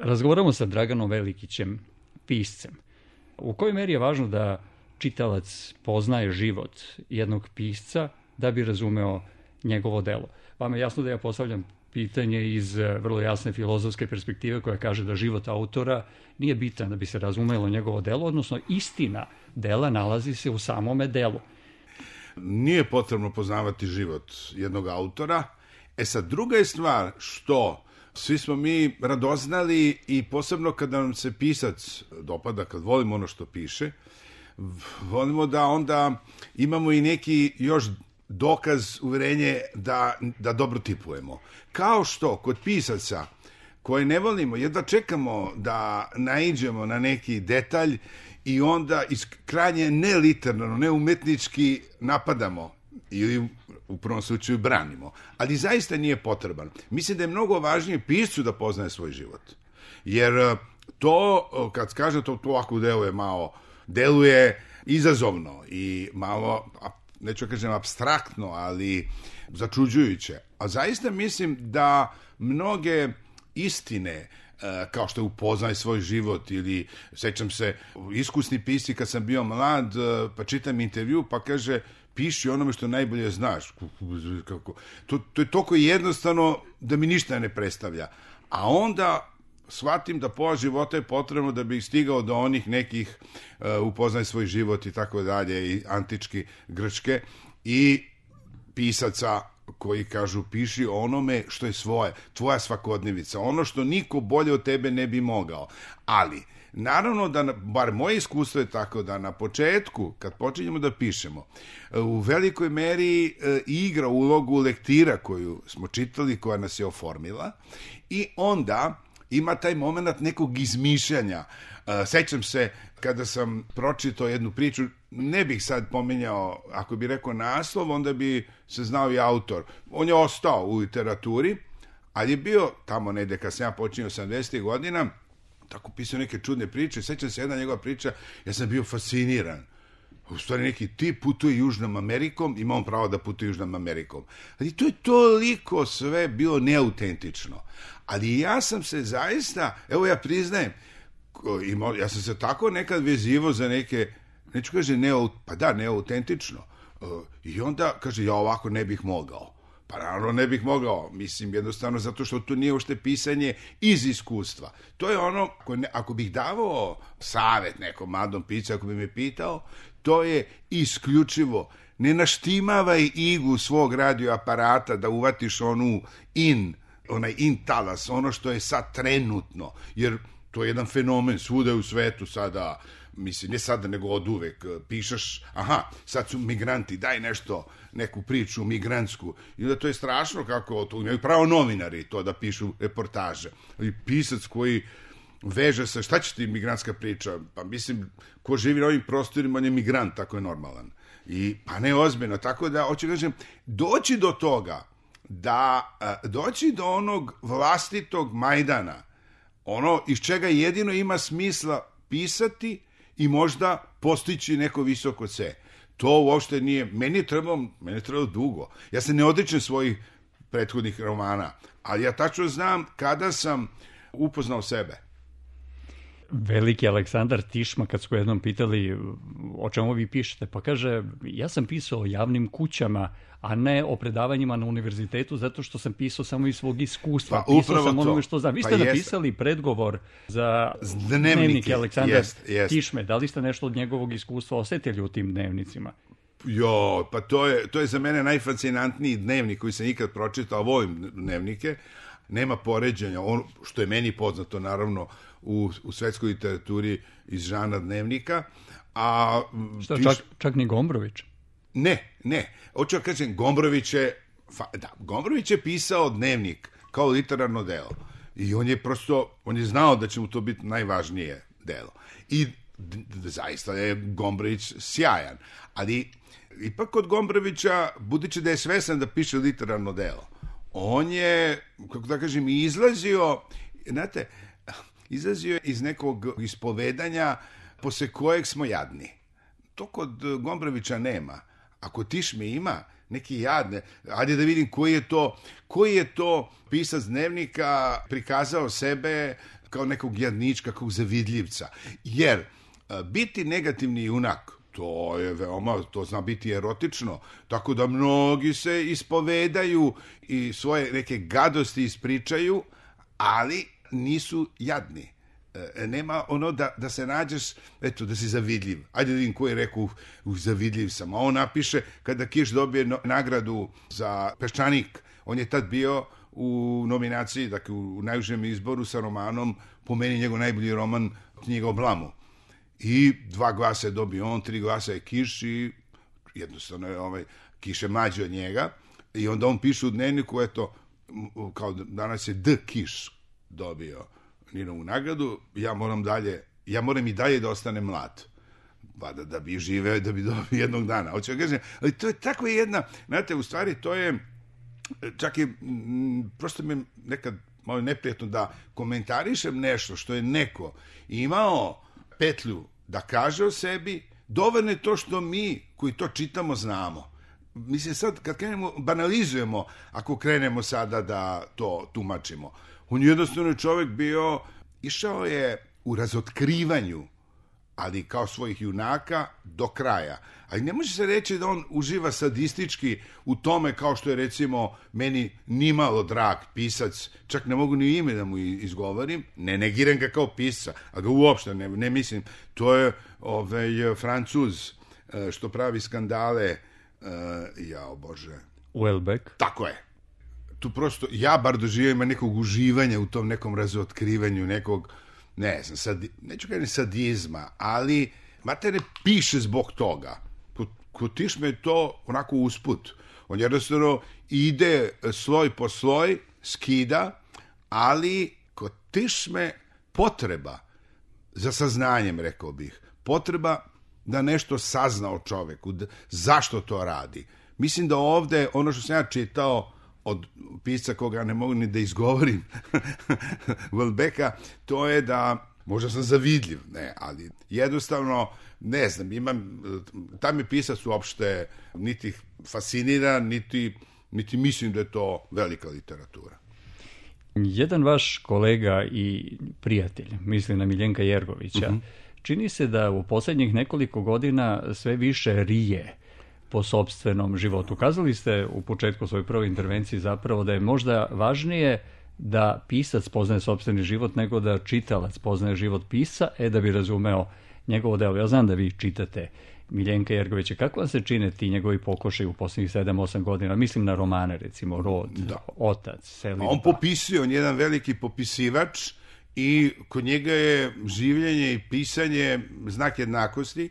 Razgovaramo sa Draganom Velikićem, piscem. U kojoj meri je važno da čitalac poznaje život jednog pisca da bi razumeo njegovo delo? Vama je jasno da ja postavljam pitanje iz vrlo jasne filozofske perspektive koja kaže da život autora nije bitan da bi se razumelo njegovo delo, odnosno istina dela nalazi se u samome delu. Nije potrebno poznavati život jednog autora. Sad, druga je stvar što svi smo mi radoznali i posebno kada nam se pisac dopada, kad volimo ono što piše, volimo da onda imamo i neki još dokaz, uverenje da dobro tipujemo. Kao što kod pisaca koje ne volimo, jedva čekamo da naiđemo na neki detalj i onda krajnje neliterarno, neumetnički napadamo ili u prvom slučaju branimo. Ali zaista nije potreban. Mislim da je mnogo važnije piscu da poznaje svoj život. Jer to, kad kaže to ovako deluje izazovno i malo, neću kažem apstraktno, ali začuđujuće. A zaista mislim da mnoge istine, kao što je upoznaj svoj život ili, sećam se, iskusni pisci kad sam bio mlad, pa čitam intervju, pa kaže, piši onome što najbolje znaš. To je toliko jednostavno da mi ništa ne predstavlja. A onda shvatim da pola života je potrebno da bih stigao do onih nekih upoznaj svoj život i tako dalje, i antički Grčke, i pisaca koji kažu piši onome što je svoje, tvoja svakodnevica, ono što niko bolje od tebe ne bi mogao. Ali, naravno da, bar moje iskustvo je tako da na početku, kad počinjemo da pišemo, u velikoj meri igra ulogu lektira koju smo čitali, koja nas je oformila, i onda ima taj moment nekog izmišljanja. Sećam se kada sam pročitao jednu priču, ne bih sad pominjao, ako bi rekao naslov, onda bi se znao i autor. On je ostao u literaturi, ali je bio tamo negde kad sam ja počinio 80. godina, tako pisao neke čudne priče. Sećam se jedna njegova priča, ja sam bio fasciniran. U stvari neki tip putuje Južnom Amerikom, ima on pravo da putuje Južnom Amerikom. Ali to je toliko sve bilo neautentično. Ali ja sam se zaista, evo ja priznajem, ja sam se tako nekad vezivo za neke, neću kaže neautentično. I onda kaže, ja ovako ne bih mogao. Pa naravno ne bih mogao, mislim jednostavno zato što to nije uopšte pisanje iz iskustva. To je ono, ako bih davao savet nekom mladom piscu, ako bi me pitao, to je isključivo, ne naštimavaj iglu svog radioaparata da uvatiš onaj in talas, ono što je sad trenutno, jer to je jedan fenomen svuda u svetu sada, mislim, ne sada nego od uvek, pišeš, sad su migranti, daj nešto, neku priču migrantsku, i da to je strašno kako, to imaju pravo novinari to da pišu reportaže, i pisac koji veže se, šta će ti migrantska priča, pa mislim, ko živi na ovim prostorima, on je migrant, tako je normalan, i pa ne ozbiljno, tako da, hoću kažem, doći do toga, doći do onog vlastitog Majdana, ono iz čega jedino ima smisla pisati i možda postići neko visoko C. To uopšte nije, meni je trebalo dugo. Ja se ne odričem svojih prethodnih romana, ali ja tačno znam kada sam upoznao sebe. Veliki Aleksandar Tišma, kad smo jednom pitali o čemu vi pišete, pa kaže, ja sam pisao o javnim kućama, a ne o predavanjima na univerzitetu, zato što sam pisao samo iz svog iskustva. Pa, pisao sam onome što znam. Vi ste napisali predgovor za dnevnike Aleksandra Tišme. Da li ste nešto od njegovog iskustva osetili u tim dnevnicima? Pa to je za mene najfascinantniji dnevnik koji sam ikad pročitao, volim dnevnike, nema poređenja, što je meni poznato naravno u svetskoj literaturi iz žana dnevnika. Čak ni Gombrović? Ne. Hoću da kažem, Gombrović je pisao dnevnik kao literarno delo. I on je znao da će mu to biti najvažnije delo. I zaista je Gombrović sjajan. Ali ipak kod Gombrovića, budući da je svestan da piše literarno delo, on je, kako da kažem, izlazio iz nekog ispovedanja posle kojeg smo jadni. To kod Gombrovića nema. Ako Tišme ima, neki jad. Ajde da vidim koji je to pisac dnevnika prikazao sebe kao nekog jadnička, kao zavidljivca. Jer biti negativni junak, to zna biti erotično, tako da mnogi se ispovedaju i svoje neke gadosti ispričaju, ali nisu jadni. Nema ono da se nađeš, eto, da si zavidljiv. Ajde da vidim ko je rekao zavidljiv sam. A on napiše, kada Kiš dobije nagradu za Peščanik, on je tad bio u nominaciji, dakle u najužem izboru sa romanom, po meni njegov najbolji roman, Knjiga o blamu. I 2 glasa je dobio on, 3 glasa je Kiš i jednostavno je Kiš je mlađi od njega. I onda on piše u dnevniku, eto, kao danas je D. Kiš dobio Ninovu nagradu, ja moram i dalje da ostane mlad. Da bi živeo, da bi dobio jednog dana. Hoću da kažem, ali to je tako jedna, znate, u stvari to je, čak i, prosto mi je nekad malo neprijatno da komentarišem nešto što je neko imao petlju da kaže o sebi, dovoljno je to što mi koji to čitamo znamo. Mislim, sad kad banalizujemo, ako krenemo sada da to tumačimo, on jednostavno čovjek bio, išao je u razotkrivanju, ali kao svojih junaka do kraja. Ali ne može se reći da on uživa sadistički u tome, kao što je recimo meni nimalo drag pisac, čak ne mogu ni ime da mu izgovorim, ne negiram ga kao pisca, a ga uopšte ne mislim. To je Francuz što pravi skandale, jao Bože. Houellebecq. Tako je. Tu prosto, ja bar doživim nekog uživanja u tom nekom razotkrivanju, nekog, ne znam, neću kažem sadizma, ali mater ne piše zbog toga. Kod Tišme je to onako usput. On jednostavno ide sloj po sloj, skida, ali kod Tišme potreba za saznanjem, rekao bih, potreba da nešto sazna o čoveku, zašto to radi. Mislim da ovde, ono što sam ja čitao od pisca koga ne mogu ni da izgovorim, Houellebecqa, to je da, možda sam zavidljiv, ne, ali jednostavno, ne znam, tam je pisac uopšte niti fascinira, niti mislim da je to velika literatura. Jedan vaš kolega i prijatelj, mislim na Miljenka Jergovića, čini se da u posljednjih nekoliko godina sve više rije po sopstvenom životu. Kazali ste u početku svoje prve intervencije zapravo da je možda važnije da pisac poznaje sopstveni život nego da čitalac poznaje život pisca, da bi razumeo njegovo delo. Ja znam da vi čitate Miljenka Jergovića. Kako vam se čine ti njegovi pokušaji u posljednjih 7-8 godina? Mislim na romane, recimo Rod, Otac, Selidba. On popisuje, on je jedan veliki popisivač i kod njega je življenje i pisanje znak jednakosti.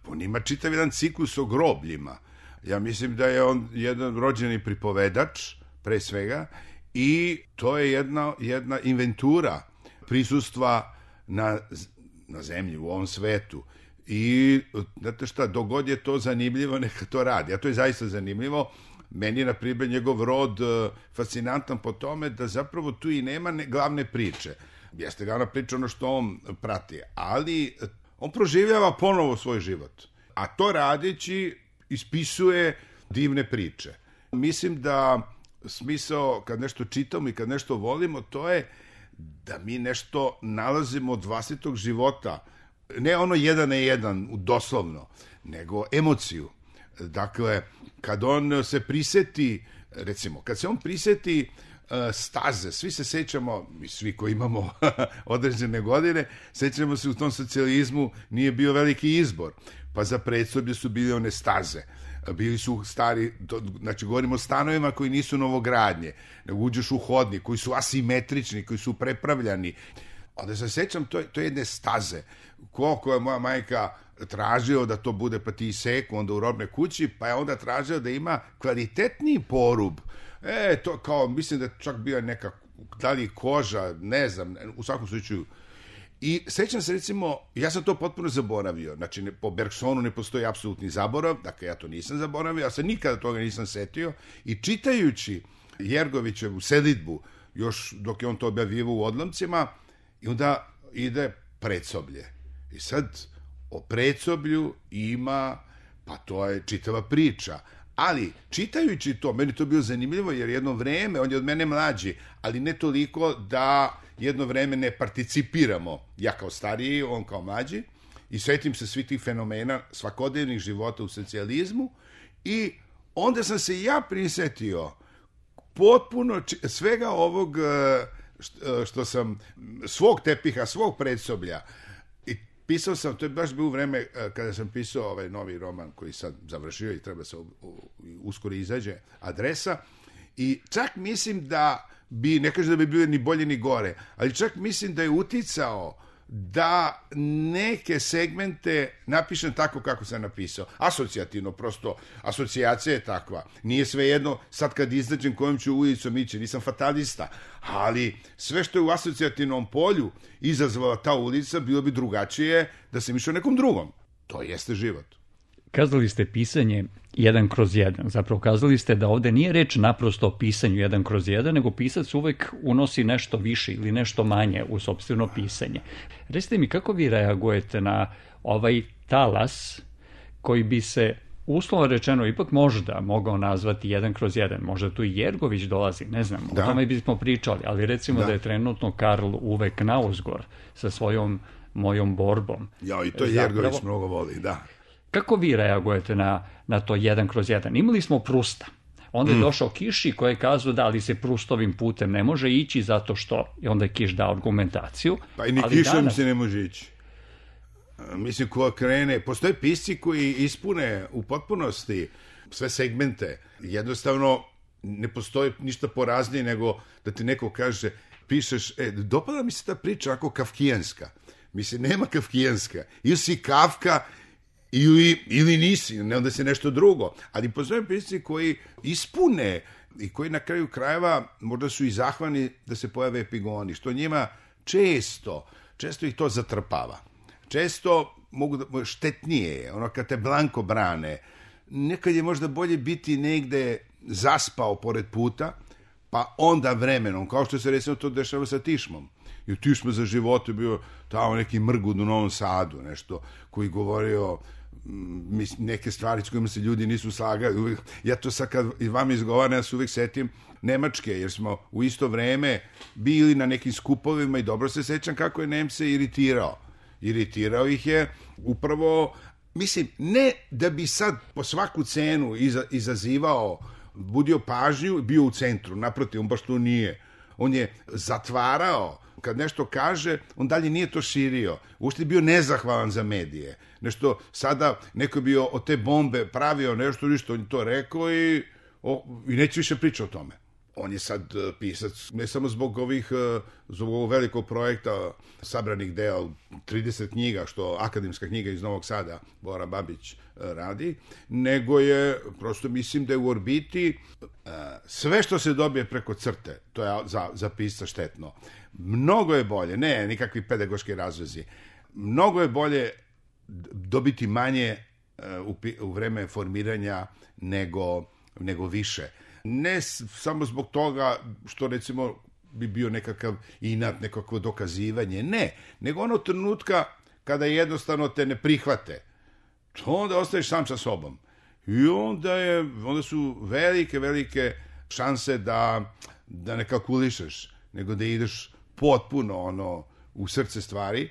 On ima čitav jedan ciklus o grobljima. Ja mislim da je on jedan rođeni pripovedač, pre svega, i to je jedna inventura prisustva na zemlji, u ovom svetu. I, znate šta, dogod je to zanimljivo, neka to radi. A to je zaista zanimljivo. Meni je, na primjer, njegov rod fascinantan po tome da zapravo tu i nema glavne priče. Jeste glavna priča ono što on prati, ali on proživljava ponovo svoj život. A to radeći ispisuje divne priče. Mislim da smisao kad nešto čitamo i kad nešto volimo, to je da mi nešto nalazimo od vlastitog života. Ne ono 1 na 1, doslovno, nego emociju. Dakle, kad on se priseti, recimo, kad se on priseti staze, svi se sećamo, svi koji imamo određene godine, sećamo se u tom socijalizmu nije bio veliki izbor, pa za predsoblje su bili one staze. Bili su stari, znači govorimo o stanovima koji nisu novogradnje, nego uđeš u hodnik, koji su asimetrični, koji su prepravljani. Onda se sećam to jedne staze, koliko je moja majka tražio da to bude, pa ti seku onda u robne kući, pa je onda tražio da ima kvalitetniji porub. To kao, mislim da čak bio neka, da li koža, ne znam, u svakom slučaju. I sećam se, recimo, ja sam to potpuno zaboravio, znači po Bergsonu ne postoji apsolutni zaborav, dakle ja to nisam zaboravio, ja se nikada toga nisam setio i čitajući Jergovićevu Selidbu, još dok je on to objavio u odlomcima, i onda ide Predsoblje. I sad o Predsoblju ima, pa to je čitava priča, Ali, čitajući to, meni to bilo zanimljivo, jer jedno vreme, on je od mene mlađi, ali ne toliko da jedno vreme ne participiramo, ja kao stariji, on kao mlađi, i setim se svih tih fenomena svakodnevnih života u socijalizmu, i onda sam se ja prisetio potpuno svega ovog što sam, svog tepiha, svog predsoblja, i pisao sam, to je baš bilo vreme kada sam pisao ovaj novi roman koji sad završio i treba se uskoro izađe, Adresa, i čak mislim da bi, ne kažem da bi bilo ni bolje ni gore, ali čak mislim da je uticao da neke segmente napišem tako kako sam napisao. Asocijativno, prosto, asocijacija je takva. Nije svejedno, sad kad izađem kojom ću ulicom ići, nisam fatalista, ali sve što je u asocijativnom polju izazvala ta ulica, bilo bi drugačije da sam išao nekom drugom. To jeste život. Kazali ste pisanje 1/1. Zapravo kazali ste da ovde nije reč naprosto o pisanju 1/1, nego pisac uvek unosi nešto više ili nešto manje u sopstveno pisanje. Recite mi, kako vi reagujete na ovaj talas koji bi se, uslovno rečeno, ipak možda mogao nazvati 1/1. Možda tu i Jergović dolazi, ne znam, o tome bismo pričali, ali recimo da je trenutno Karl Uwe Knausgård sa svojom Mojom borbom. Ja, i to Jergović mnogo voli, da. Kako vi reagujete na to 1/1? Imali smo Prusta. Onda je došao Kiši koji je kazao da, ali se Prustovim putem ne može ići zato što, i onda je Kiš dao argumentaciju. Pa i ni Kišom se ne može ići. Mislim, ko krene, postoje pisci koji ispune u potpunosti sve segmente. Jednostavno, ne postoji ništa poraznije nego da ti neko kaže, pišeš, dopada mi se ta priča ako kafkijanska. Mislim, nema kafkijanska. Ili si Kafka, ili nisi, ne onda se nešto drugo. Ali postoje pisci koji ispune i koji na kraju krajeva možda su i zahvalni da se pojave epigoni, što njima često ih to zatrpava. Često mogu da, štetnije je, ono kad te blanko brane, nekad je možda bolje biti negde zaspao pored puta, pa onda vremenom, kao što se recimo to dešava sa Tišmom. I Tišma za životu je bio tamo neki mrgud u Novom Sadu, nešto koji govorio neke stvari s kojima se ljudi nisu slagali. Ja to sad kad i vam izgovaram, ja se uvijek setim Nemačke, jer smo u isto vreme bili na nekim skupovima i dobro se sećam kako je Nemce iritirao. Iritirao ih je upravo, mislim, ne da bi sad po svaku cenu izazivao, budio pažnju, bio u centru, naprotiv, on baš to nije. On je zatvarao, kad nešto kaže, on dalje nije to širio. Uopšte je bio nezahvalan za medije. Nešto, sada neko je bio od te bombe pravio nešto, on je to rekao i neće više pričati o tome. On je sad pisac, ne samo zbog ovog velikog projekta sabranih dela, 30 knjiga, što akademska knjiga iz Novog Sada, Bora Babić radi, nego je, prosto mislim da je u orbiti sve što se dobije preko crte, to je za pisca štetno. Mnogo je bolje, ne nikakvi pedagoški razlozi, mnogo je bolje dobiti manje u vreme formiranja nego više. Ne samo zbog toga što recimo bi bio nekakav inat, nekakvo dokazivanje, ne, nego ono trenutka kada jednostavno te ne prihvate, to onda ostaješ sam sa sobom. I onda su velike šanse da ne kalkulišeš, nego da ideš potpuno u srce stvari.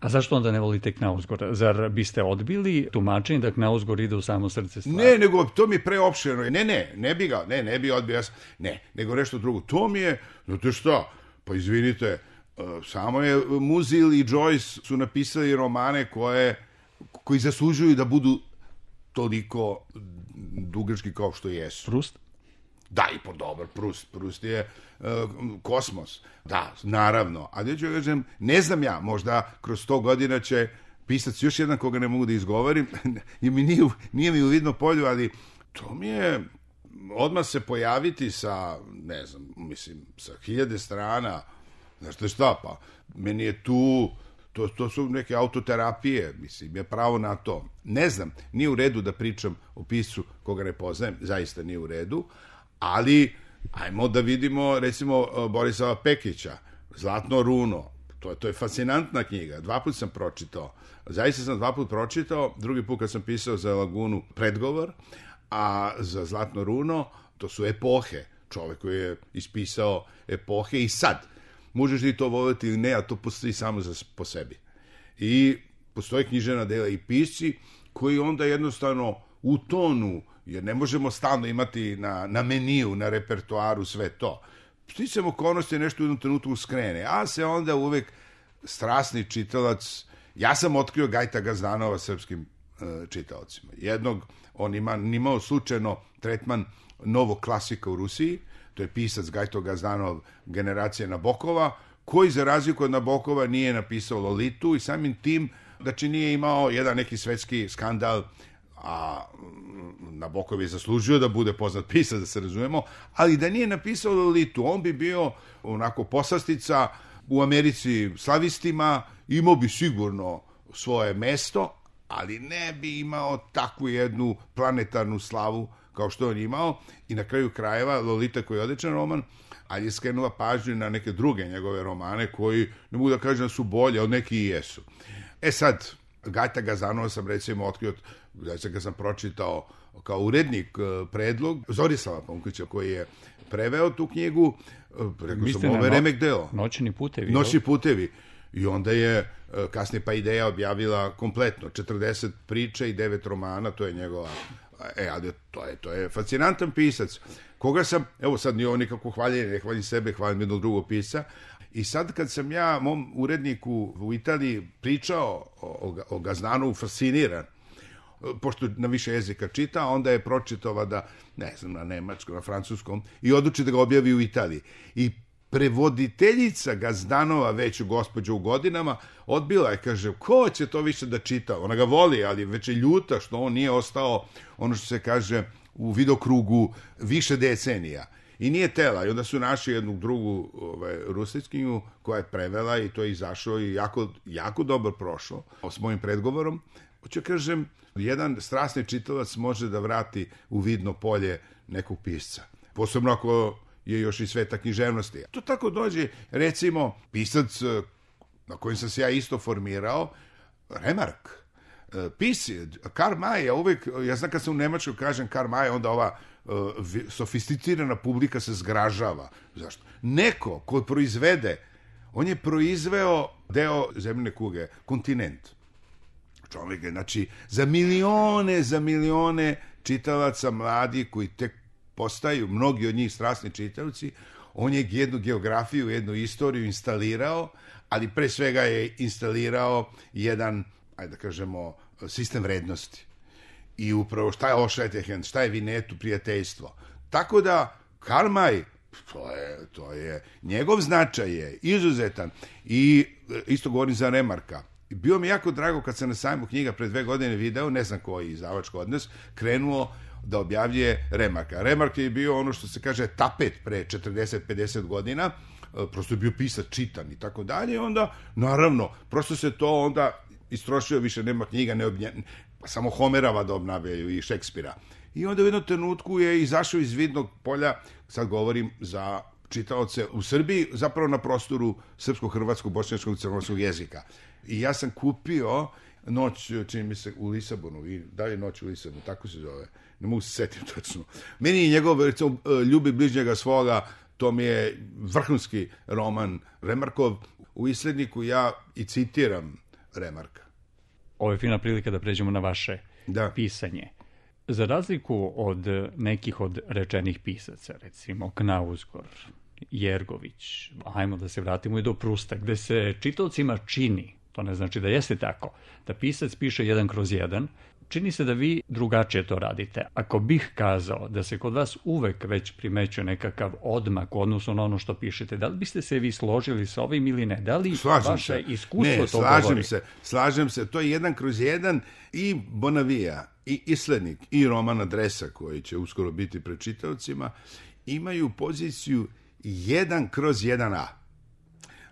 A zašto onda ne volite Knausgårda? Zar biste odbili tumačenje da Knausgård ide u samo srce stvari? Ne, nego to mi je preopširno. Ne bi odbio. Nego nešto drugo. To mi je, znate šta, pa izvinite, samo je Musil i Joyce su napisali romane koji zaslužuju da budu toliko dugački kao što jesu. Prust? Da, i dobar, Prust je kosmos. Da, naravno. A da ću kažem, ne znam ja, možda kroz 100 godina će pisac još jedan koga ne mogu da izgovorim, i nije mi u vidno polju, ali to mi je odmah se pojaviti sa, ne znam, mislim, sa 1000 strana, znaš šta, pa meni je tu, to su neke autoterapije, mislim, je pravo na to. Ne znam, nije u redu da pričam o piscu koga ne poznajem, zaista nije u redu, ali ajmo da vidimo, recimo, Borisava Pekića, Zlatno runo, to je fascinantna knjiga, 2 puta sam pročitao, zaista sam 2 puta pročitao, drugi put kad sam pisao za Lagunu predgovor, a za Zlatno runo to su epohe. Čovek koji je ispisao epohe i sad. Možeš li to voliti ili ne, a to postoji samo po sebi. I postoje književna dela i pisci koji onda jednostavno u tonu, jer ne možemo stalno imati na meniju, na repertoaru sve to. Sticam okolnosti nešto u jednom trenutku skrene, a se onda uvek strasni čitalac, ja sam otkrio Gajta Gazdanova srpskim čitaocima. Jednog, on imao slučajno tretman novog klasika u Rusiji, to je pisac Gajto Gazdanov generacije Nabokova, koji za razliku od Nabokova nije napisao Lolitu i samim tim, znači nije imao jedan neki svetski skandal, a Nabokov je zaslužio da bude poznat pisac, da se razumemo, ali da nije napisao Lolitu, on bi bio onako poslastica u Americi slavistima, imao bi sigurno svoje mesto, ali ne bi imao takvu jednu planetarnu slavu kao što on imao. I na kraju krajeva Lolita, koji je odličan roman, ali je skrenula pažnju na neke druge njegove romane koji, ne mogu da kažem da su bolje, od neki i jesu. Sad, Gajta Gazdanova sam recimo otkrio, znači ga sam pročitao kao urednik predlog Zorislava Pomkića koji je preveo tu knjigu, rekao sam, ovo je remek delo. Noćni putevi. Noćni putevi. I onda je kasnije pa Ideja objavila kompletno 40 priča i 9 romana, to je njegova, ali to je fascinantan pisac, koga sam, evo sad nije ovo nikako hvaljenje, ne hvalim sebe, hvalim jednog drugog pisca. I sad kad sam ja mom uredniku u Italiji pričao o Gazdanovu, fasciniran, pošto na više jezika čita, onda je pročitao da, ne znam, na nemačkom, na francuskom, i odluči da ga objavi u Italiji. I prevoditeljica Gazdanova, već gospođa u godinama, odbila je, kaže, ko će to više da čita? Ona ga voli, ali već je ljuta što on nije ostao, ono što se kaže, u vidokrugu više decenija. I nije tela. I onda su našli jednu drugu Rusickinju koja je prevela i to je izašao i jako dobro prošlo s mojim predgovorom. Hoću kažem, jedan strasni čitalac može da vrati u vidno polje nekog pisca. Posebno ako je još i sveta književnosti. To tako dođe, recimo, pisac na kojem sam se ja isto formirao, Remark. Pisci, Karl May, ja znam kad sam u Nemačkoj kažem Karl May, onda ova sofisticirana publika se zgražava. Zašto? Neko ko proizvede, on je proizveo deo zemljine kuge, kontinent. Čovjek je, znači, za milione čitalaca mladi koji tek postaju, mnogi od njih strasni čitavci, on je jednu geografiju, jednu istoriju instalirao, ali pre svega je instalirao jedan, ajde da kažemo, sistem vrednosti. I upravo šta je Ošetehen, šta je Vinetu, prijateljstvo. Tako da, Karl May, to je, njegov značaj je izuzetan. I isto govorim za Remarka. Bio mi jako drago kad sam na sajmu knjiga pred 2 godine video, ne znam koji izdavač kod nas, krenuo da objavljuje Remarka. Remark je bio ono što se kaže tapet pre 40-50 godina, prosto je bio pisac čitan i tako dalje, onda, naravno, prosto se to onda istrošio, više nema knjiga, samo Homerava da obnavljaju i Šekspira. I onda u jednom trenutku je izašao iz vidnog polja, sad govorim za čitaoce u Srbiji, zapravo na prostoru srpsko-hrvatskog, bošnjačkog i crnogorskog jezika. I ja sam kupio Noć, čini mi se, u Lisabonu, i da je Noć u Lisabonu, tako se zove, ne mogu se setiti točno. Meni je njegov, recimo, Ljubi bližnjega svoga, to mi je vrhunski roman Remarkov. U Isledniku ja i citiram Remarka. Ovo je fina prilika da pređemo na vaše pisanje. Za razliku od nekih od rečenih pisaca, recimo Knausgård, Jergović, ajmo da se vratimo i do Prusta, gde se čitaocima čini, to ne znači da jeste tako, da pisac piše 1/1, čini se da vi drugačije to radite. Ako bih kazao da se kod vas uvek već primećuje nekakav odmak u odnosu na ono što pišete, da li biste se vi složili sa ovim ili ne? Da li vaše iskustvo to govori? Slažem se. To je 1/1 i Bonavija, i Islednik, i roman Adresa, koji će uskoro biti pred čitaocima, imaju poziciju 1/1a.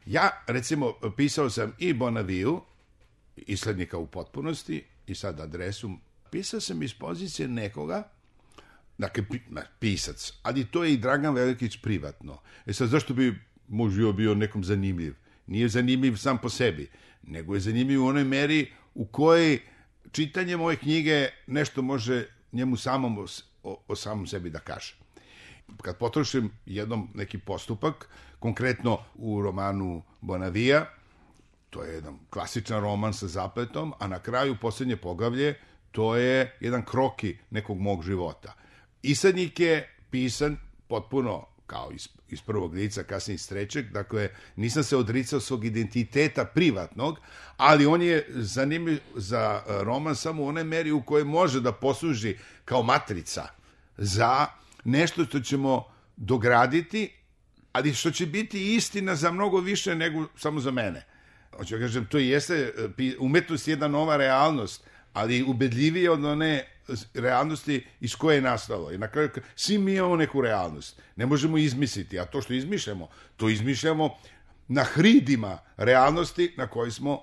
Ja, recimo, pisao sam i Bonaviju, Islednika u potpunosti, i sad Adresu, pisao sam iz pozicije nekoga, dakle, pisac, ali to je i Dragan Velikić privatno. Sad, zašto bi moj život bio nekom zanimljiv? Nije zanimljiv sam po sebi, nego je zanimljiv u onoj meri u kojoj čitanje moje knjige nešto može njemu samom o samom sebi da kaže. Kad potrošim jednom neki postupak, konkretno u romanu Bonavija, to je jedan klasičan roman sa zapletom, a na kraju posljednje poglavlje, to je jedan kroki nekog mog života. Isadnik je pisan potpuno kao iz prvog lica, kasnije iz trećeg, dakle, nisam se odricao svog identiteta privatnog, ali on je zanimljiv za roman samo u onoj meri u kojoj može da posluži kao matrica za nešto što ćemo dograditi, ali što će biti istina za mnogo više nego samo za mene. Hoću kažem, to jeste, umetnost je jedna nova realnost, ali ubedljivije od one realnosti iz koje je nastalo. I na kraju, svi mi imamo neku realnost. Ne možemo izmisliti, a to što izmišljamo, to izmišljamo na hridima realnosti na kojoj smo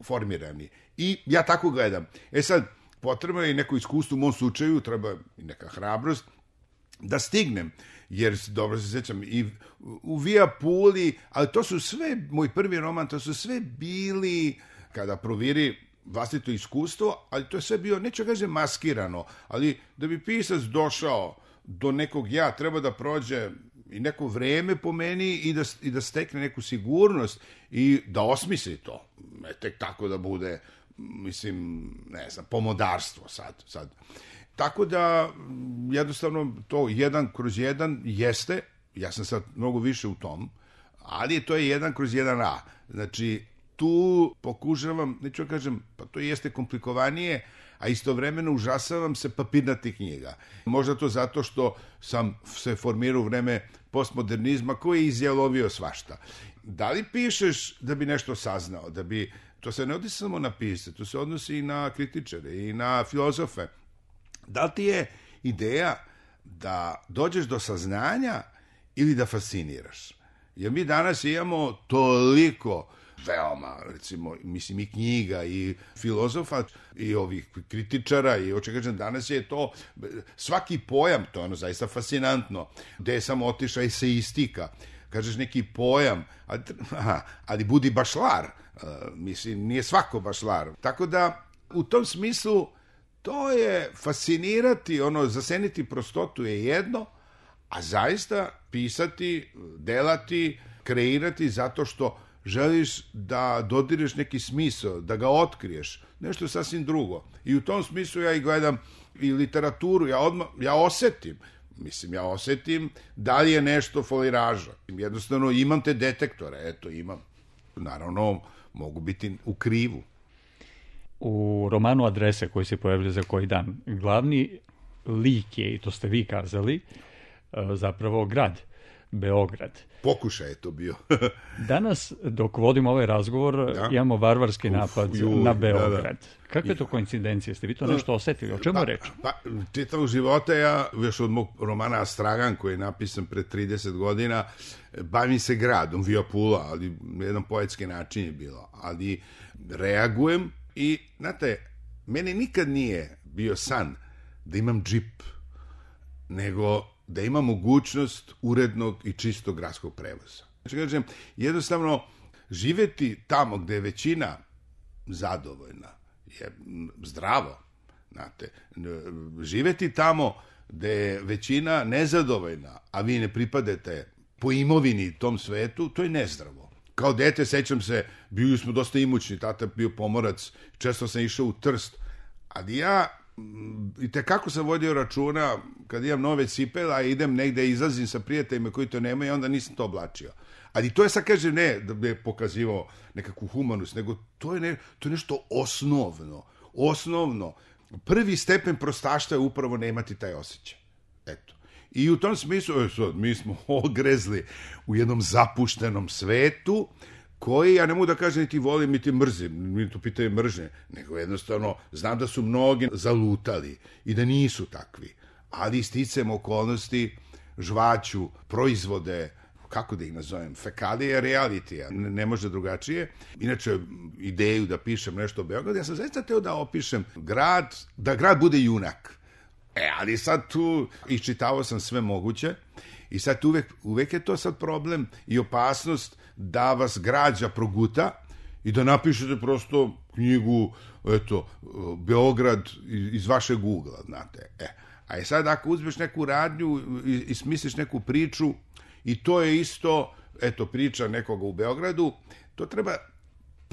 formirani. I ja tako gledam. Sad, potrebno je i neko iskustvo u mom slučaju, treba i neka hrabrost, da stignem, jer dobro se sjećam i u Via Puli, ali to su sve, moj prvi roman, to su sve bili, kada proviri vlastito iskustvo, ali to je sve bio, neću kažem maskirano, ali da bi pisac došao do nekog ja, treba da prođe i neko vreme po meni i da stekne neku sigurnost i da osmisli to. Ne tek tako da bude, mislim, ne znam, pomodarstvo sad. Tako da, jednostavno, to 1/1 jeste, ja sam sad mnogo više u tom, ali to je 1/1A. Znači, tu pokušavam, neću kažem, pa to jeste komplikovanije, a istovremeno užasavam se papirnatih knjiga. Možda to zato što sam se formirao u vreme postmodernizma koji je izjalovio svašta. Da li pišeš da bi nešto saznao, to se ne odnosi samo na pisce, to se odnosi i na kritičare i na filozofe. Da li ti je ideja da dođeš do saznanja ili da fasciniraš? Jer mi danas imamo toliko veoma, recimo, mislim i knjiga i filozofa i ovih kritičara i kažem, danas je to svaki pojam, to je ono zaista fascinantno, gde je samo otišla eseistika, kažeš neki pojam, ali budi bašlar, mislim, nije svako bašlar. Tako da, u tom smislu, to je fascinirati, zaseniti prostotu je jedno, a zaista pisati, delati, kreirati zato što želiš da dodireš neki smisao, da ga otkriješ, nešto sasvim drugo. I u tom smislu ja i gledam i literaturu, ja osetim da li je nešto foliraža. Jednostavno imam te detektore, imam. Naravno, mogu biti u krivu. U romanu Adrese koji se pojavlja za koji dan, glavni lik je, i to ste vi kazali, zapravo grad, Beograd. Pokušaj je to bio. Danas, dok vodimo ovaj razgovor, imamo varvarski napad na Beograd. Da. Kakve to koincidencije? Ste vi to nešto osetili? O čemu reč? Čitavog života ja, još od mog romana Astragan, koji je napisan pre 30 godina, bavim se gradom, Via Pula, ali na jedan poetski način je bilo. Ali reagujem i, znate, meni nikad nije bio san da imam džip, nego da ima mogućnost urednog i čistog gradskog prevoza. Znači, kažem, jednostavno, živeti tamo gde je većina zadovoljna je zdravo, znate. Živeti tamo gde je većina nezadovoljna, a vi ne pripadete po imovini tom svetu, to je nezdravo. Kao dete, sećam se, bili smo dosta imućni, tata bio pomorac, često sam išao u Trst, ali ja i tekako sam vodio računa kad imam nove cipele, a idem negde, izlazim sa prijateljima koji to nemaju, onda nisam to oblačio. Ali to je, sad kažem, ne da bi pokazivao nekakvu humanost, nego to je nešto osnovno. Prvi stepen prostaštva je upravo nemati taj osjećaj. Eto. I u tom smislu, mi smo ogrezli u jednom zapuštenom svetu, koji, ja ne mogu da kažem niti volim, niti mrzim, mi to pitaju mržnje, nego jednostavno znam da su mnogi zalutali i da nisu takvi, ali sticajem okolnosti žvaću proizvode, kako da ih nazovem, fekalije realitija, ne može drugačije. Inače, ideju da pišem nešto o Beogradu, ja sam zaista teo da opišem grad, da grad bude junak. Ali sad tu iščitavao sam sve moguće i sad uvek je to sad problem i opasnost da vas građa proguta i da napišete prosto knjigu, eto, Beograd iz vašeg ugla, znate. A sad ako uzmeš neku radnju i smisliš neku priču, i to je isto, eto, priča nekoga u Beogradu, to treba,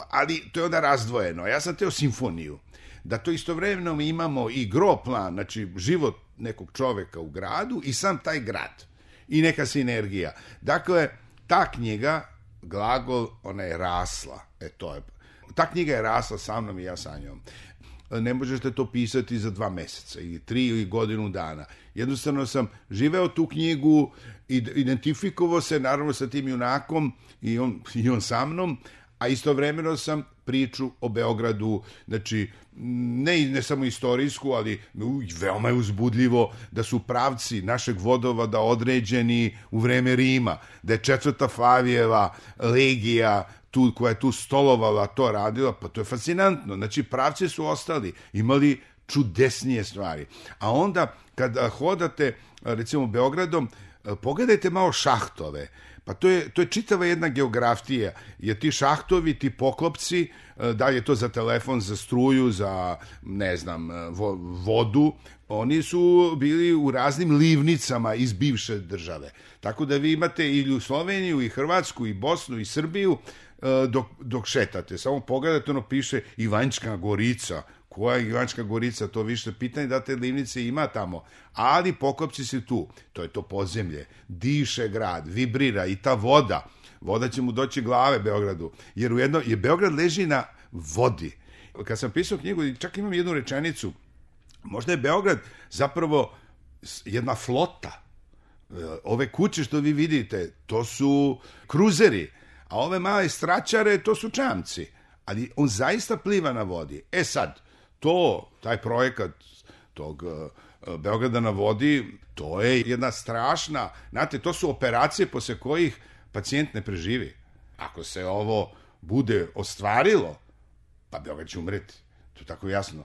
ali to je onda razdvojeno. Ja sam teo simfoniju, da to istovremeno imamo i gro plan, znači život nekog čoveka u gradu i sam taj grad i neka sinergija. Dakle, ta knjiga, glagol, ona je rasla. Ta knjiga je rasla sa mnom i ja sa njom. Ne možete to pisati za 2 meseca ili 3 ili godinu dana. Jednostavno sam živeo tu knjigu, identifikovao se naravno sa tim junakom i on sa mnom, a istovremeno sam priču o Beogradu, znači ne samo istorijsku, ali veoma je uzbudljivo da su pravci našeg vodovoda određeni u vreme Rima, da je 4. Flavijeva legija koja je tu stolovala, to radila, pa to je fascinantno. Znači, pravci su ostali, imali čudesnije stvari. A onda, kada hodate, recimo, Beogradom, pogledajte malo šahtove. Pa to je čitava jedna geografija, jer ti šahtovi, ti poklopci, da li je to za telefon, za struju, za, ne znam, vodu, oni su bili u raznim livnicama iz bivše države. Tako da vi imate i u Sloveniju, i Hrvatsku, i Bosnu, i Srbiju, dok šetate. Samo pogledajte, ono piše Ivanjska Gorica. Koja je Ivanjska Gorica? To više pitanje da te livnice ima tamo. Ali poklopci su tu. To je to podzemlje. Diše grad, vibrira i ta voda. Voda će mu doći glave Beogradu. Jer Beograd leži na vodi. Kad sam pisao knjigu, čak imam jednu rečenicu. Možda je Beograd zapravo jedna flota. Ove kuće što vi vidite, to su kruzeri. A ove male straćare, to su čamci. Ali on zaista pliva na vodi. Sad, taj projekat tog Beograda na vodi, to je jedna strašna, znate, to su operacije posle kojih pacijent ne preživi. Ako se ovo bude ostvarilo, pa Beograd će umreti. To je tako jasno.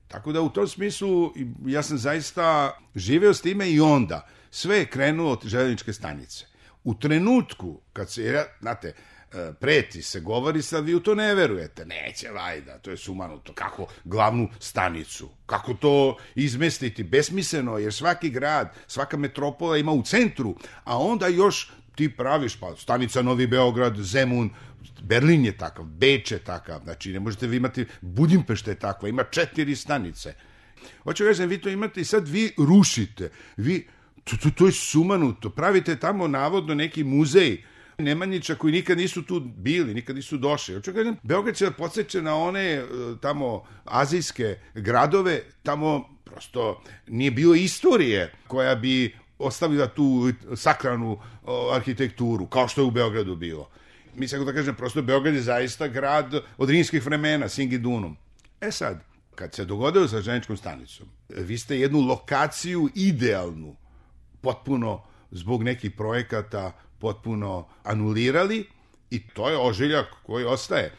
Tako da u tom smislu ja sam zaista živeo s time i onda. Sve je krenulo od željezničke stanice. U trenutku kad se, znate, preti se, govori sad, vi u to ne verujete. Neće, vajda, to je sumanuto. Kako glavnu stanicu? Kako to izmestiti? Besmisleno, jer svaki grad, svaka metropola ima u centru, a onda još ti praviš, pa stanica Novi Beograd, Zemun, Berlin je takav, Beč je takav, znači ne možete vi imati, Budimpešta je takva, ima 4 stanice. Hoću kažem, vi to imate i sad vi rušite, to je sumanuto, pravite tamo navodno neki muzej Nemanjića koji nikad nisu tu bili, nikad nisu došli. Hoću kažem, Beograd će da podsjeća na one tamo azijske gradove, tamo prosto nije bilo istorije koja bi ostavila tu sakralnu arhitekturu, kao što je u Beogradu bilo. Mislim da kažem, prosto Beograd je zaista grad od rimskih vremena, Singidunum. Sad, kad se dogodilo sa željezničkom stanicom, vi ste jednu lokaciju idealnu, potpuno zbog nekih projekata, potpuno anulirali i to je ožiljak koji ostaje.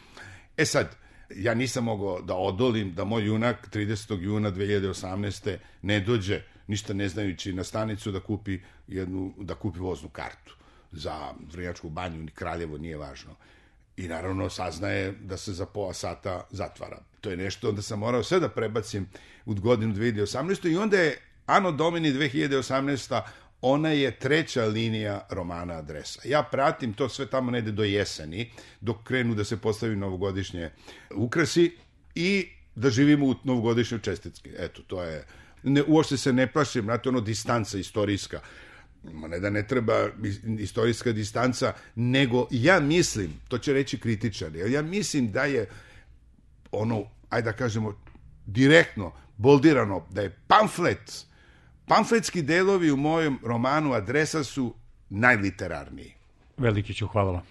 Sad, ja nisam mogao da odolim da moj junak 30. juna 2018. ne dođe, ništa ne znajući, na stanicu da kupi voznu kartu za Vrnjačku banju, ni Kraljevo, nije važno. I naravno saznaje da se za pola sata zatvara. To je nešto, onda sam morao sve da prebacim u godinu 2018. I onda je Anno Domini 2018. Ona je 3. linija romana Adresa. Ja pratim to sve tamo negde do jeseni, dok krenu da se postavi novogodišnje ukrasi i da živimo u novogodišnjoj čestitki. Eto, to je... Uopšte se ne plašim, znate, distanca istorijska. Ne da ne treba istorijska distanca, nego ja mislim, to će reći kritičari, ali ja mislim da je ajde da kažemo, direktno, boldirano, da je pamfletski delovi u mojem romanu Adresa su najliterarniji. Velikiću, hvala vam.